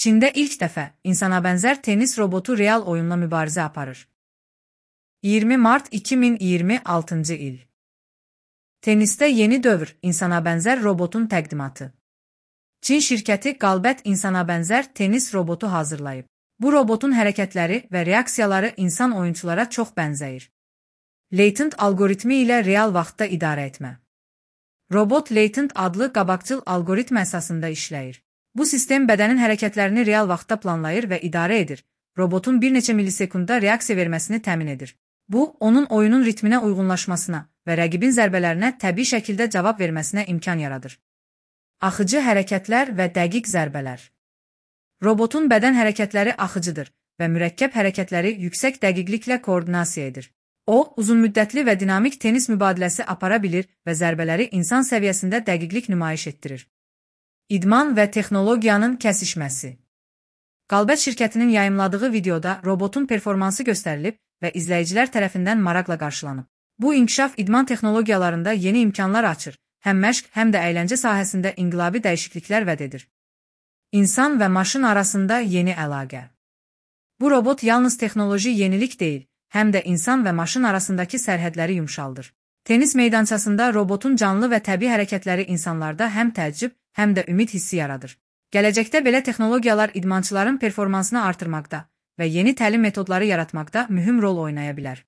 Çində ilk dəfə insana bənzər tenis robotu real oyunla mübarizə aparır. 20 mart 2026-cı il. Tenisdə yeni dövr insana bənzər robotun təqdimatı. Çin şirkəti Qalbət insana bənzər tenis robotu hazırlayıb. Bu robotun hərəkətləri və reaksiyaları insan oyunçulara çox bənzəyir. Latent algoritmi ilə real vaxtda idarə etmə. Robot Latent adlı qabaqcıl algoritm əsasında işləyir. Bu sistem bədənin hərəkətlərini real vaxtda planlayır və idarə edir. Robotun bir neçə millisekunda reaksiya verməsini təmin edir. Bu, onun oyunun ritminə uyğunlaşmasına və rəqibin zərbələrinə təbii şəkildə cavab verməsinə imkan yaradır. Axıcı hərəkətlər və dəqiq zərbələr. Robotun bədən hərəkətləri axıcıdır və mürəkkəb hərəkətləri yüksək dəqiqliklə koordinasiya edir. O, uzunmüddətli və dinamik tenis mübadiləsi apara bilir və zərbələri insan səviyyəsində dəqiqlik nümayiş etdirir. İdman və texnologiyanın kəsişməsi. Qalbət şirkətinin yayımladığı videoda robotun performansı göstərilib və izləyicilər tərəfindən maraqla qarşılanıb. Bu inkişaf idman texnologiyalarında yeni imkanlar açır, həm məşq, həm də əyləncə sahəsində inqilabi dəyişikliklər vəd edir. İnsan və maşın arasında yeni əlaqə. Bu robot yalnız texnoloji yenilik deyil, həm də insan və maşın arasındakı sərhədləri yumşaldır. Tenis meydançasında robotun canlı və təbii hərəkətləri insanlarda həm təəccüb, həm də ümid hissi yaradır. Gələcəkdə belə texnologiyalar idmançıların performansını artırmaqda və yeni təlim metodları yaratmaqda mühüm rol oynaya bilər.